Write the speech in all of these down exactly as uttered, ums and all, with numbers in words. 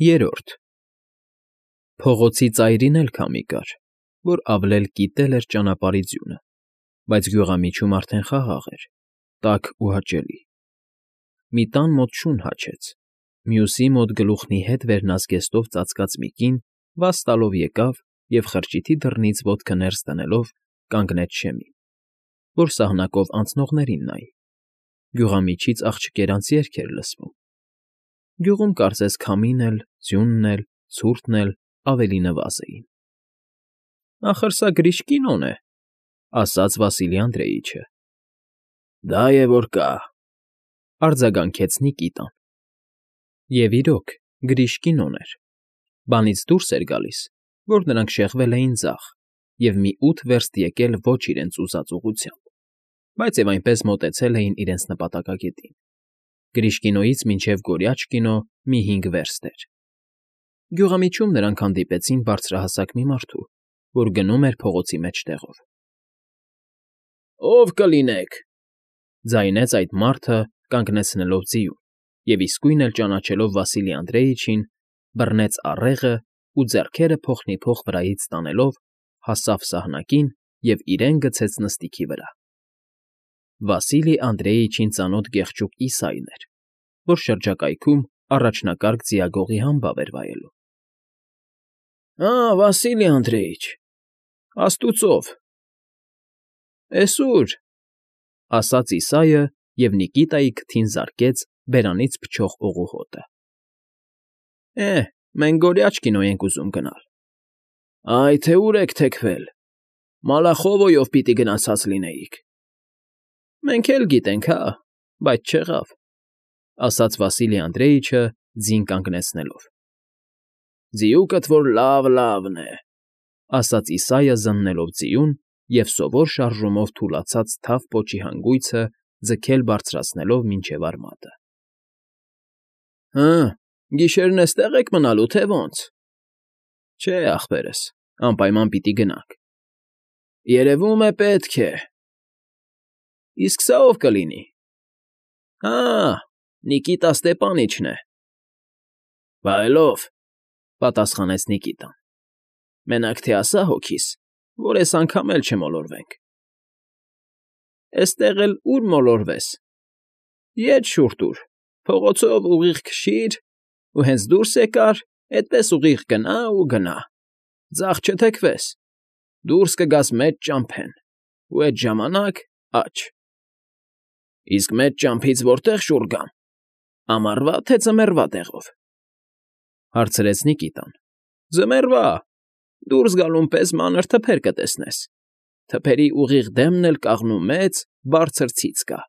Երրորդ Փողոցի ծայրին էլ քամի կար, որ ավլել կիտել էր ճանապարհի ձյունը, բայց գյուղամիջում արդեն խաղաղ էր, տաք ու հաճելի։ Մի տան մոտ շուն հաչեց, մյուսի մոտ գլուխն ի հետ վերնազգեստով ծածկած մի կին վազ տալով եկավ և խրճիթի դռնից ոտքը ներս դնելով կանգնեց շեմին, որ սահնակով անցնողներին նայի։ Գյուղամիջից աղջկերանց երգ էր լսվում։ Գյուղում կարծես քամին էլ, ձյունն էլ, ցուրտն էլ ավելի նվազ էին։ ֊ Ախր սա Գրիշկինոն է,֊ ասաց Վասիլի Անդրեիչը։ ֊ Դա է որ կա,֊ արձագանքեց Նիկիտան։ Եվ իրոք, Գրիշկինոն էր։ Բանից դուրս էր գալիս, որ նրանք շեղվել էին ձախ և մի ութ վերստ եկել ոչ իրենց ուզած ուղղությամբ, բայց և այնպես մոտեցել էին իրենց նպատակակետին։ Գրիշկինոյից մինչև Գորյաչկինո մի հինգ վերստ էր։ Գյուղամիջում նրանք հանդիպեցին բարձրահասակ մի մարդու, որ գնում էր փողոցի մեջտեղով։ ֊ Ո՞վ կլինեք,֊ ձայնեց այդ մարդը, կանգնեցնելով ձիուն, և իսկույն էլ ճանաչելով Վասիլի Անդրեիչին, բռնեց առեղն ու, ձեռքերը փոխնիփոխ վրայից տանելով, հասավ սահնակին և իրեն գցեց նստիքի վրա։ Վասիլի Անդրեիչին ծանոթ գեղեցիկ Իսայն էր, որ շրջակայքում առաջնակարգ ձիագողի համբավ էր վայելում։ ֊ Ա՜, Վասիլի Անդրեիչ, աստուծով… Էս ո՞ւր,֊ ասաց Իսայը և Նիկիտայի քթին զարկեց բերանից փչող օղուհոտը։ ֊ Է, մենք Գորյաչկինո ենք ուզում գնալ։ ֊ Այ թե ուր եք թեքվել, Մալախովոյով պիտի գնացած լինեիք։ ֊ Մենք էլ գիտենք, հա, բայց չեղավ,֊ ասաց Վասիլի Անդրեիչը, ձին կանգնեցնելով։ ֊ Ձիուկդ որ լավ֊լավն է,֊ ասաց Իսայը զննելով ձիուն և սովոր շարժումով թուլացած թավ պոչի հանգույցը ձգել բարձրացնելով մինչև արմատը։ ֊ Հը, գիշերն էստե՞ղ եք մնալու, թե ոնց։ ֊ Չէ, ախպերս, անպայման պիտի գնանք։ ֊ Երևում է, պետք է։ ֊ Իսկ սա ո՞վ կլինի։ ֊ Հա, Նիկիտա Ստեպանիչն է։ ֊ Վայելո՛վ,֊ պատասխանեց Նիկիտան,֊ մենակ թե ասա հոգիս, որ էս անգամ էլ չմոլորվենք։ ֊ Էստեղ էլ ուր մոլորվես։ Ետ շուռ տուր, փողոցով ուղիղ քշիր, ու հենց դուրս եկար, էդպես ուղիղ գնա ու գնա, ձախ չթեքվես, դուրս կգաս մեծ ճամփեն, ու էդ ժամանակ աջ։ ֊ Իսկ մեծ ճամփից որտե՞ղ շուռ գամ, ամառվա՞, թե ձմեռվա տեղով,֊ հարցրեց Նիկիտան։ ֊ Ձմեռվա, դուրս գալուն պես մանր թփեր կտեսնես, թփերի ուղիղ դեմն էլ կաղնու մեծ, բարձր ցից կա,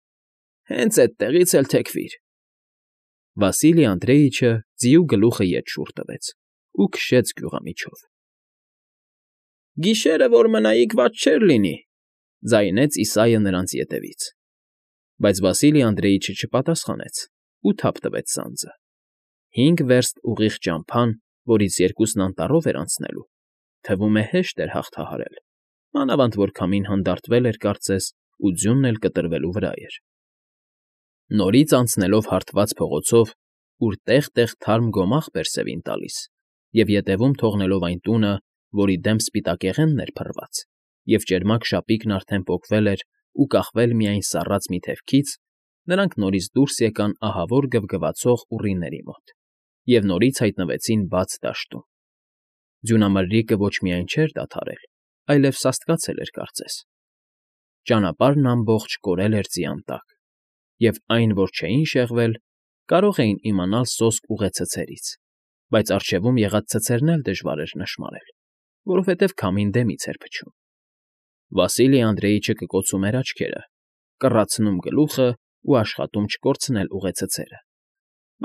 հենց էդտեղից էլ թեքվիր։ Վասիլի Անդրեիչը ձիու գլուխը ետ շուռ տվեց ու քշեց գյուղամիջով։ ֊ Գիշերը որ մնայիք, վատ չէր լինի,֊ ձայնեց Իսայը նրանց ետևից։ Բայց Վասիլի Անդրեիչը չպատասխանեց ու թափ տվեց սանձը։ Հինգ վերստ ուղիղ ճամփան, որից երկուսն անտառով էր անցնելու, թվում է հեշտ էր հաղթահարել, մանավանդ որ քամին հանդարտվել էր կարծես ու ձյունն էլ կտրվելու վրա էր։ Նորից անցնելով հարթված փողոցով, ուր տեղ֊տեղ թարմ գոմաղ բերսևին տալիս, և ետևում թողնելով այն տունը, որի դեմ սպիտակեղենն էր փռված, և ճերմակ շապիկն արդեն պոկվել էր ու կախվել միայն սառած մի թևքից, նրանք նորից դուրս եկան ահավոր գվգվացող ուռիների մոտ և նորից հայտնվեցին բաց դաշտում։ Ձյունամրրիկը ոչ միայն չէր դադարել, այլև սաստկացել էր կարծես։ Ճանապարհն ամբողջ կորել էր ձիան տակ, և այն, որ չէին շեղվել, կարող էին իմանալ սոսկ ուղեցցերից, բայց առջևում եղած ցցերն էլ դժվար էր նշմարել, որովհետև քամին դեմից էր փչում։ Վասիլի Անդրեիչը կկոցում էր աչքերը, կռացնում գլուխն ու աշխատում չկորցնել ուղեցցերը,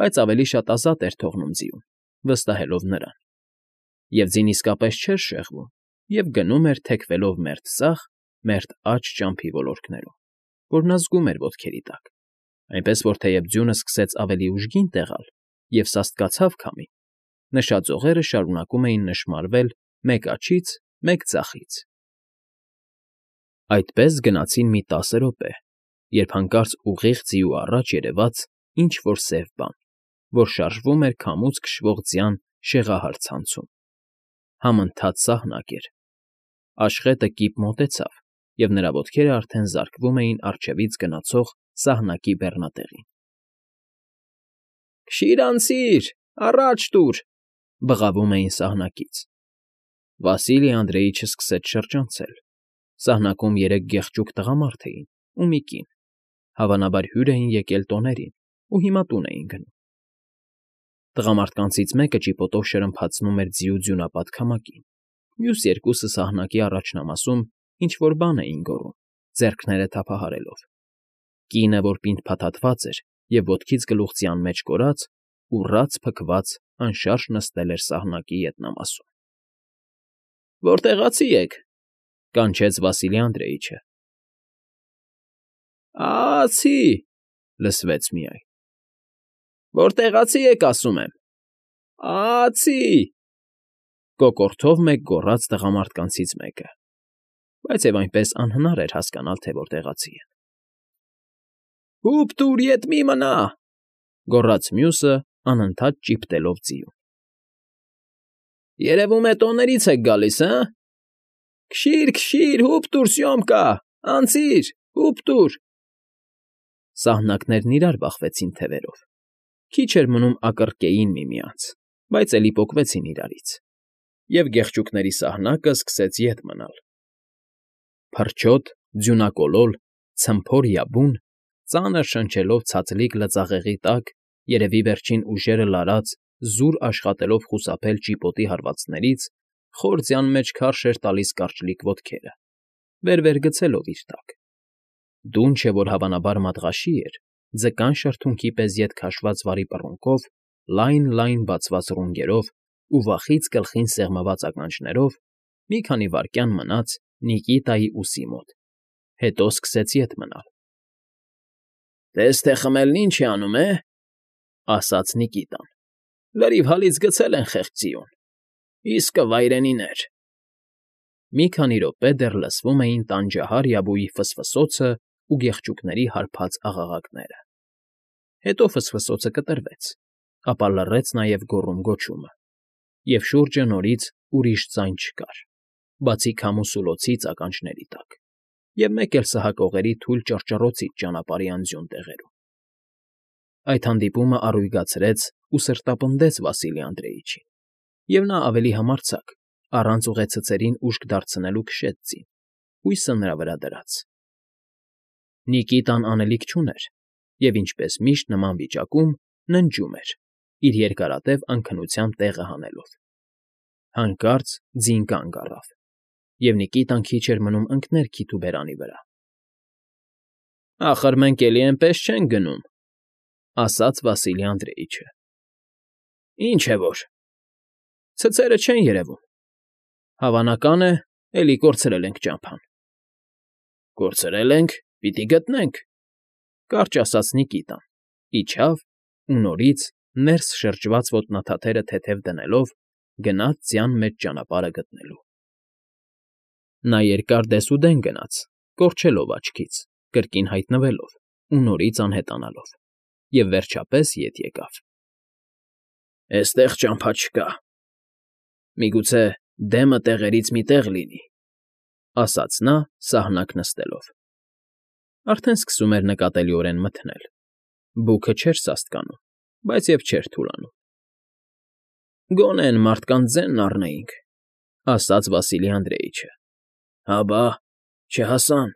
բայց ավելի շատ ազատ էր թողնում ձիուն, վստահելով նրան։ Եվ ձին իսկապես չէր շեղվում և գնում էր թեքվելով մերթ ձախ, մերթ աջ ճամփի ոլորտներում, որ նա զգում էր ոտքերի տակ, այնպես որ թեև ձյունը սկսեց ավելի ուժգին տեղալ և սաստկացավ քամին, նշած օղերը շարունակում էին նշմարվել մեկ աջից, մեկ ձախից։ Այդպես գնացին մի տասը րոպե, երբ հանկարծ ուղիղ ձիու առաջ երևաց ինչ֊որ սև բան։ որ շարժվում էր քամուց քշվող ձյան շեղահար ցանցում. համընթաց սահնակ էր։ Աշխետը կիպ մոտեցավ, և նրա ոտքերը արդեն զարկվում էին առջևից գնացող սահնակի բեռնատեղին։ ֊ Քշի՛ր անցիր, առաջ տուր,֊ բղավում էին սահնակից։ Վասիլի Անդրեիչը սկսեց շրջանցել։ Սահնակում երեք գեղեցիկ տղամարդ էին ու մի կին, հավանաբար հյուր էին եկել տոներին ու հիմա տուն էին գնում։ Տղամարդկանցից մեկը ճիպոտով շրմփացնում էր ձիու ձյունապատ քամակին, մյուս երկուսը սահնակի առաջնամասում ինչ֊որ բան էին գոռում, ձեռքները թափահարելով։ Կինը, որ պինդ֊փաթաթված էր և ոտքից գլուխ ձյան մեջ կորած, ուռած֊փքված անշարժ նստել էր սահնակի ետնամասում։ ֊ Որտեղացի եք,֊ կանչեց Վասիլի Անդրեիչը։ ֊ Ա֊ա֊ացի,֊ լսվեց միայն։ ֊ Որտեղացի եք, ասում եմ։ Ա֊ա֊ացի,֊ կոկորդով մեկ գոռաց տղամարդկանցից մեկը, բայց և այնպես անհնար էր հասկանալ, թե որտեղացի են։ ֊ Հո՛ւպ տուր, ետ մի մնա,֊ գոռաց մյուսը, անընդհատ ճիպտելով ձիուն։ ֊ Երևում է տոներից եք գալիս, հը՛… Քշի՛ր, քշի՛ր, հո՛ւպ տուր, Սյոմկա, անցիր, հո՛ւպ տուր… Սահնակներն իրար բախվեցին թևերով, քիչ էր մնում ակռկեին միմյանց, բայց էլի պոկվեցին իրարից, և գեղչուկների սահնակը սկսեց ետ մնալ։ Փրչոտ, ձյունակոլոլ, ցմփոր֊յաբուն, ծանր շնչելով ցածլիկ լծաղեղի տակ, երևի վերջին ուժերը լարած, զուր աշխատելով խուսափել ճիպոտի հարվածներից, խոր ձյան մեջ քարշ էր տալիս կարճլիկ ոտքերը, վեր֊վեր գցելով իր տակ։ Դունչը, որ հավանաբար մատղաշի էր, ձկան շրթունքի պես ետ քաշված վարի պռունգով, լայն֊լայն բացված ռունգերով ու վախից գլխին սեղմված ականջներով, մի քանի վայրկյան մնաց Նիկիտայի ուսի մոտ, հետո սկսեց ետ մնալ։ ֊ Տես թե խմելն ինչ է անում, է,֊ ասաց Նիկիտան,֊ լրիվ հալից գցել են խեղճ ձիուն, իսկը վայրենիներ… Մի քանի րոպե դեռ լսվում էին տանջահար֊յաբուի ֆսֆսոցն ու գեղչուկների հարբած աղաղակները։ Հետո ֆսֆսոցը կտրվեց, ապա լռեց նաև գոռում֊գոչումը, և շուրջը նորից ուրիշ ձայն չկար, բացի քամու սուլոցից ականջների տակ, և մեկ էլ սահակողերի թույլ ճռճռոցից ճանապարհի անձյուն տեղերում։ Այդ հանդիպումը առույգացրեց ու սրտապնդեց Վասիլի Անդրեիչին, և նա ավելի համարձակ, առանց ուղեցցերին ուշք դարձնելու քշեց ձին, հույսը նրա վրա դրած։ Նիկիտան անելիք չուներ և, ինչպես միշտ նման վիճակում, ննջում էր, իր երկարատև անքնության տեղը հանելով։ Հանկարծ ձին կանգ առավ, և Նիկիտան քիչ էր մնում ընկներ քիթու բերանի վրա։ ֊ Ախր մենք էլի էնպես չենք գնում,֊ ասաց Վասիլի Անդրեիչը։ ֊ Ինչ է որ… Ցցերը չեն երևում… Հավանական է, էլի կորցրել ենք ճամփան։ ֊ Կորցրել ենք, պիտի գտնենք,֊ կարճ ասաց Նիկիտան, իջավ ու նորից, ներս շրջված ոտնաթաթերը թեթև դնելով, գնաց ձյան մեջ ճանապարհը գտնելու։ Նա երկար դեսուդեն գնաց, կորչելով աչքից, կրկին հայտնվելով ու նորից անհետանալով, և վերջապես ետ եկավ։ ֊ Էստեղ ճամփա չկա… Միգուցե դեմը տեղերից մի տեղ լինի,֊ ասաց նա՝ սահնակ նստելով։ Արդեն սկսում էր նկատելիորեն մթնել, բուքը չէր սաստկանում, բայց և չէր թուլանում։ ֊ Գոնե էն մարդկանց ձենն առնեինք,֊ ասաց Վասիլի Անդրեիչը։ ֊ Հա բա, չհասան…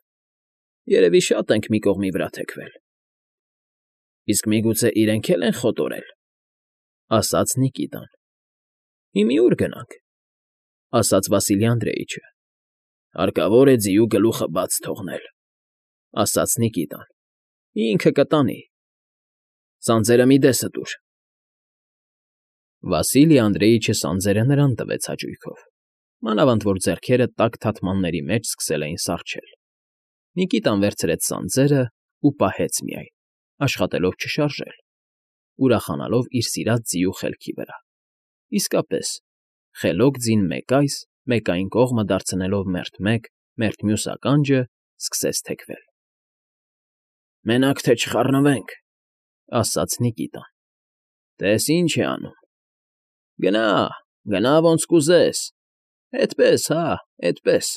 Երևի շատ ենք մի կողմի վրա թեքվել։ ֊ Իսկ միգուցե իրենք էլ են խոտորել,֊ ասաց Նիկիտան։ ֊ Հիմի ո՞ւր գնանք,֊ ասաց Վասիլի Անդրեիչը։ ֊ Հարկավոր է ձիու գլուխը բաց թողնել,֊ ասաց Նիկիտան,֊ ինքը կտանի… Սանձերը մի դեսը տուր… Վասիլի Անդրեիչը սանձերը նրան տվեց հաճույքով, մանավանդ որ ձեռքերը տաք թաթմանների մեջ սկսել էին սառչել։ Նիկիտան վերցրեց սանձերն ու պահեց միայն, աշխատելով չշարժել, ուրախանալով իր սիրած ձիու խելքի վրա։ Իսկապես, խելոք ձին մեկ այս, մեկ այն կողմը դարձնելով մերթ մեկ, մերթ մյուս ականջը, սկսեց թեքվել։ ֊ Մենակ թե չխառնվենք,֊ ասաց Նիկիտան։ Տես ինչ է անում։ Գնա, գնա ոնց կուզես, էդպես, հա, էդպես…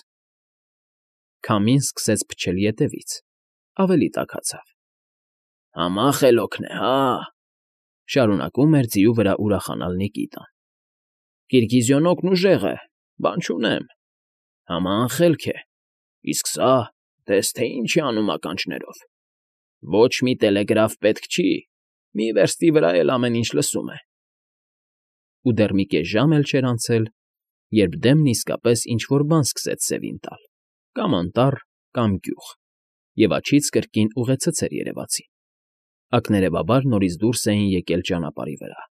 Քամին սկսեց փչել ետևից, ավելի տաքացավ։ Համա խելոքն է, հա՜… շարունակում էր ձիու վրա ուրախանալ Նիկիտան։ Կիրգիզյոնոկն ուժեղ է, բան չունեմ, համա անխելք է, իսկ սա, տես թե ինչ է անում ականջներով… Ոչ մի տելեգրաֆ պետք չի, մի վերստի վրա էլ ամեն ինչ լսում է… Ու դեռ մի կես ժամ էլ չէր անցել, երբ դեմն իսկապես ինչ֊որ բան սկսեց սևին տալ, կամ անտառ, կամ գյուղ, և աջից կրկին ուղեցցեր երևացին, ակներևաբար նորից դուրս էին եկել ճանապարհի վրա։ ֊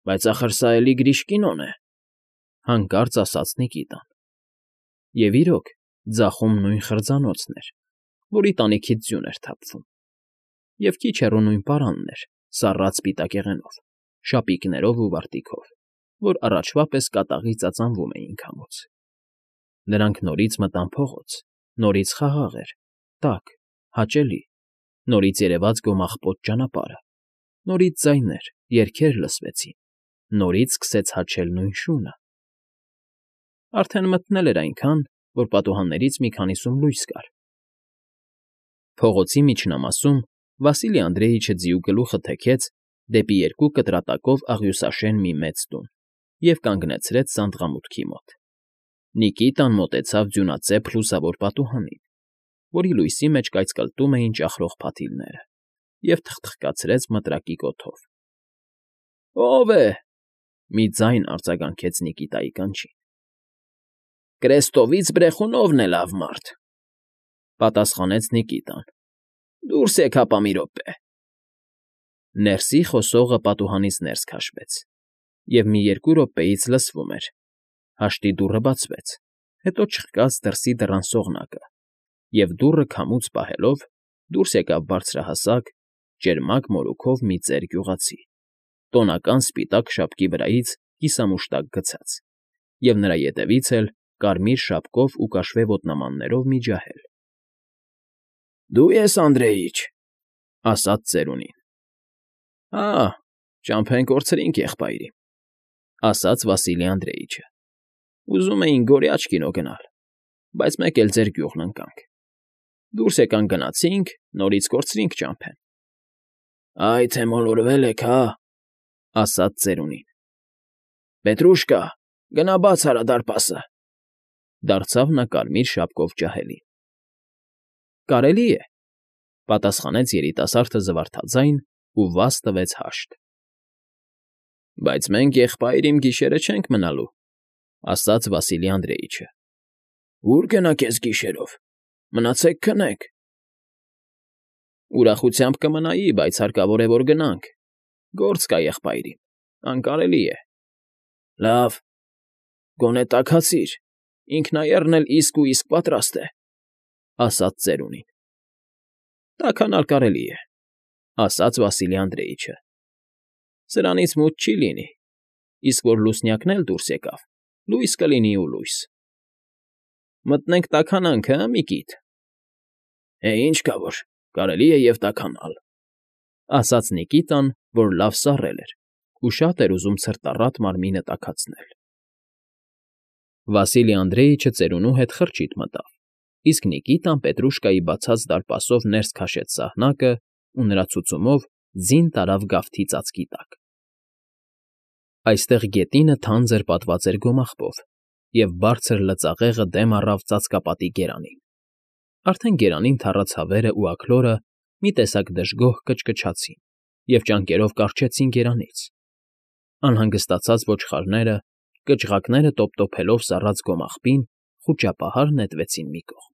Բայց ախր սա էլի Գրիշկինոն է,֊ հանկարծ ասաց Նիկիտան։ Եվ իրոք, ձախում նույն խրձանոցն էր, որի տանիքից ձյուն էր թափվում, և քիչ հեռու նույն պարանն էր, սառած սպիտակեղենով, շապիկներով ու վարտիքով, որ առաջվա պես կատաղի ծածանվում էին քամուց։ Նրանք նորից մտան փողոց, նորից խաղաղ էր, տաք, հաճելի, նորից երևաց գոմաղպոտ ճանապարհը, նորից ձայներ, երգեր լսվեցին, նորից սկսեց հաչել նույն շունը… Արդեն մթնել էր այնքան, որ պատուհաններից մի քանիսում լույս կար։ Փողոցի միջնամասում Վասիլի Անդրեիչը ձիու գլուխը թեքեց դեպի երկու կտրատակով աղյուսաշեն մի մեծ տուն և կանգնեցրեց սանդղամուտքի մոտ։ Նիկիտան մոտեցավ ձյունածեպ լուսավոր պատուհանին, որի լույսի մեջ կայծկլտում էին ճախրող փաթիլները, և թխթխկացրեց մտրակի կոթով։ ֊ Ո՞վ է,֊ մի ձայն արձագանքեց Նիկիտայի կանչին։ ֊ Կրեստովից Բրեխունովն է լավ մարդ,֊ պատասխանեց Նիկիտան։ ֊ Դուրս եկ հապա մի րոպե… Ներսի խոսողը պատուհանից ներս քաշվեց, և մի երկու րոպեից լսվում էր. հաշտի դուռը բացվեց, հետո չխկաց դրսի դռան սողնակը, և դուռը քամուց պահելով դուրս եկավ բարձրահասակ, ճերմակ մորուքով մի ծեր գյուղացի, տոնական սպիտակ շապկի վրայից կիսամուշտակ գցած, և նրա ետևից էլ կարմիր շապկով ու կաշվե ոտնամաններով մի ջահել։ ֊ Դու ես Անդրեիչ,֊ ասաց ծերունին։ ֊ Հա, ճամփեն կորցրինք եղբայրի,֊ ասաց Վասիլի Անդրեիչը։ Ուզում էինք գորիաչ կինո գնալ, բայց մեկ էլ ձեր գյուղն ընկանք։ Դուրս եկանք գնացինք, նորից կորցրինք ճամփեն։ ֊ Այ թե մոլորվել եք, հա,֊ ասաց ծերունին։ ֊ Պետրուշկա, գնա բաց արա դարպասը,֊ դարձավ նա կարմիր շապկով ջահելին։ ֊ Կարելի է,֊ պատասխանեց երիտասարդը զվարթաձայն ու վազ տվեց հաշտ։ ֊ Բայց մենք եղբայր իմ գիշերը չենք մնալու,֊ ասաց Վասիլի Անդրեիչը։ ֊ Ո՞ւր գնաք էս գիշերով, մնացեք քնեք։ ֊ Ուրախությամբ կմնայի, բայց հարկավոր է, որ գնանք, գործ կա եղբայրին, անկարելի է։ ֊ Լավ, գոնե տաքացիր, ինքնաեռն էլ իսկ ու իսկ պատրաստ է,֊ ասաց ծերունին։ ֊ Տաքանալ կարելի է,֊ ասաց Վասիլի Անդրեիչը։ ֊ Սրանից մութ չի լինի, իսկ որ լուսնյակն էլ դուրս եկավ, լույս կլինի ու լույս։ ֊ Մտնենք տաքանանք, հը՞, մի կիտ։ ֊ Է, ինչ կա որ, կարելի է և տաքանալ,֊ ասաց Նիկիտան, որ լավ սառել էր ու շատ էր ուզում ցրտառատ մարմինը տաքացնել։ Վասիլի Անդրեիչը ծերունու հետ խրճիթ մտավ, իսկ Նիկիտան Պետրուշկայի բացած դարպասով ներս քաշեց սահնակն ու նրա ցուցումով ձին տարավ գավթի ծածկի տակ։ Այստեղ գետինը թանձր պատված էր գոմաղբով, և բարձր լծաղեղը դեմ առավ ծածկապատի գերանին։ Արդեն գերանին թառած հավերն ու աքլորը մի տեսակ դժգոհ կչկչացին և ճանկերով կառչեցին գերանից։ Անհանգստացած ոչխարները, կղջղակները տոպտոփելով սառած գոմաղբին, խուճապահար նետվեցին մի կողմ։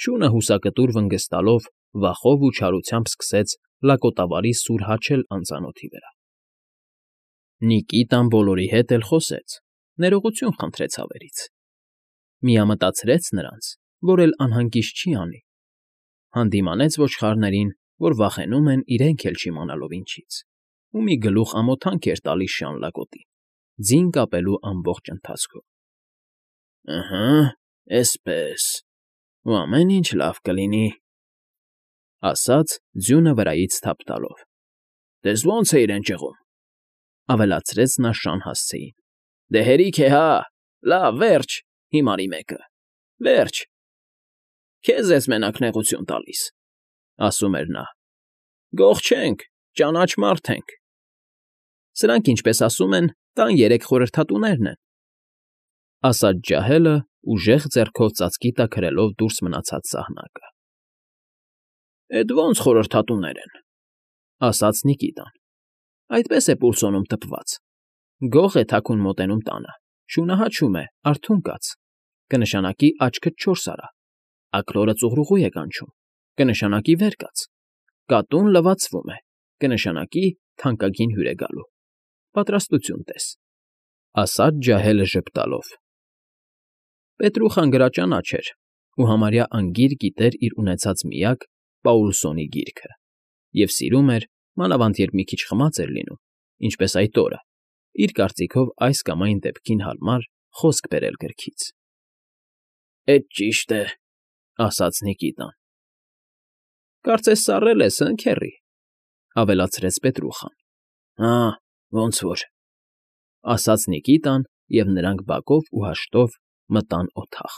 Շունը հուսակտուր վնգստալով վախով ու չարությամբ սկսեց լակոտավարի սուր հաչել անծանոթի վրա։ Նիկիտան բոլորի հետ էլ խոսեց, ներողություն խնդրեց հավերից։ Միամտածրեց նրանց, որ էլ անհանգիստ չի անի, հանդիմանեց ոչխարներին, որ վախենում են իրենք էլ չիմանալով ինչից, ու մի գլուխ ամոթանք էր տալիս շան լակոտին, ձին կապելու ամբողջ ընթացքում։ ֊ Ըհը, էսպես, ու ամեն ինչ լավ կլինի,֊ ասաց ձյունը վրայից թափ տալով։ Տես ո՜նց է իրեն ճղում,֊ ավելացրեց նա շան հասցեին։֊ Դե հերիք է, հա, լավ, վերջ, հիմարի մեկը, վերջ… Քեզ ես մենակ նեղություն տալիս,֊ ասում էր նա։֊ Գող չենք, ճանաչ մարդ ենք… Սրանք, ինչպես ասում են, տան երեք խորհրդատուներն են,֊ ասաց ջահելը, ուժեղ ձեռքով ծածկի տակ հրելով դուրս մնացած սահնակը։ ֊ Էդ ո՜նց խորհրդատուներ են,֊ ասաց Նիկիտան։֊ Այդպես է պուլսոնում տպված. գող է թաքուն մոտենում տանը, շունը հաչում է, արթուն կաց, կնշանակի աչքդ չորս արա, աքլորը ծուռուղու է կանչում, կնշանակի վեր կաց, կատուն լվացվում է, կնշանակի թանկագին հյուր է գալու, պատրաստություն տես,֊ ասաց ջահելը ժպտալով։ Պետրուխան գրաճանաչ էր ու համարյա անգիր գիտեր իր ունեցած միակ Պաուլսոնի գիրքը և սիրում էր, մանավանդ երբ մի քիչ խմած էր լինում, ինչպես այդ օրը, իր կարծիքով այս կամ այն դեպքին հարմար խոսք բերել գրքից։ ֊ Էդ ճիշտ է,֊ ասաց Նիկիտան։ ֊ Կարծես սառել ես, հը՞, քեռի,֊ ավելացրեց Պետրուխան։ ֊ Հա, ոնց որ,֊ ասաց Նիկիտան, և նրանք բակով ու հաշտով մտան օդախ։